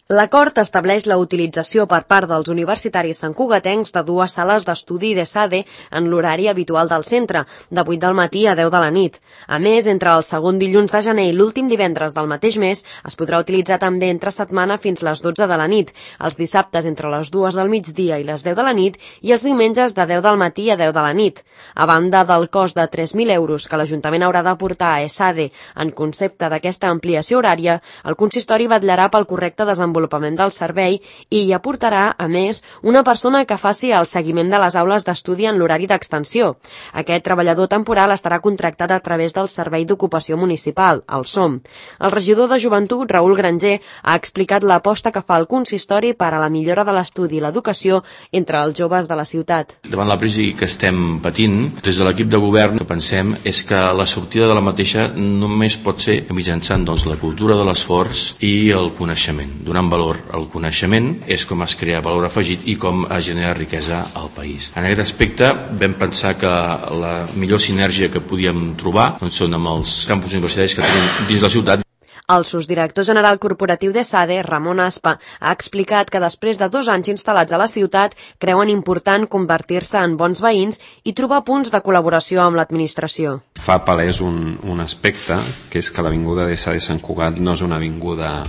L'acord estableix la utilització per part dels universitaris santcugatencs de 2 sales d'estudi d'ESADE en l'horari habitual del centre, de 8 del matí a 10 de la nit. A més, entre el segon dilluns de gener i l'últim divendres del mateix mes, es podrà utilitzar també entre setmana fins les 12 de la nit, els dissabtes entre les 2 del migdia i les 10 de la nit i els diumenges de 10 del matí a 10 de la nit. A banda del cost de 3.000 euros que l'Ajuntament haurà d'aportar a ESADE en concepte d'aquesta ampliació horària, el consistori vetllarà pel correcte desenvolupament del servei i hi aportarà, a més, una persona que faci el seguiment de les aules d'estudi en l'horari d'extensió. Aquest treballador temporal estarà contractat a través del Servei d'Ocupació Municipal, el SOM. El regidor de Joventut, Raül Granger, ha explicat l'aposta que fa el consistori per a la millora de l'estudi i l'educació entre els joves de la ciutat. Davant la crisi que estem patint, des de l'equip de govern, el que pensem és que la sortida de la mateixa només pot ser mitjançant la cultura de l'esforç i el coneixement. Donant valor al coneixement és com es crea valor afegit i com es genera riquesa al país. En aquest aspecte vam pensar que la millor sinergia que podíem trobar són amb els campus universitaris que tenim dins la ciutat. El sosdirector general corporatiu d'ESADE, Ramon Aspa, ha explicat que després de 2 anys instal·lats a la ciutat creuen important convertir-se en bons veïns i trobar punts de col·laboració amb l'administració. Fa palès un aspecte, que és que l'avinguda d'ESADE Sant Cugat no és una avinguda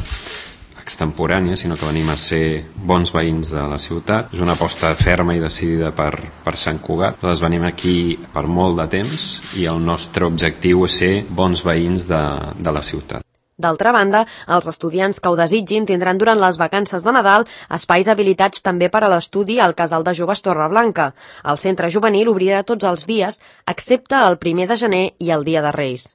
extemporània, sinó que venim a ser bons veïns de la ciutat. És una aposta ferma i decidida per Sant Cugat. Nosaltres venim aquí per molt de temps i el nostre objectiu és ser bons veïns de la ciutat. D'altra banda, els estudiants que ho desitgin tindran durant les vacances de Nadal espais habilitats també per a l'estudi al Casal de Joves Torreblanca. El centre juvenil obrirà tots els dies, excepte el 1 de gener i el Dia de Reis.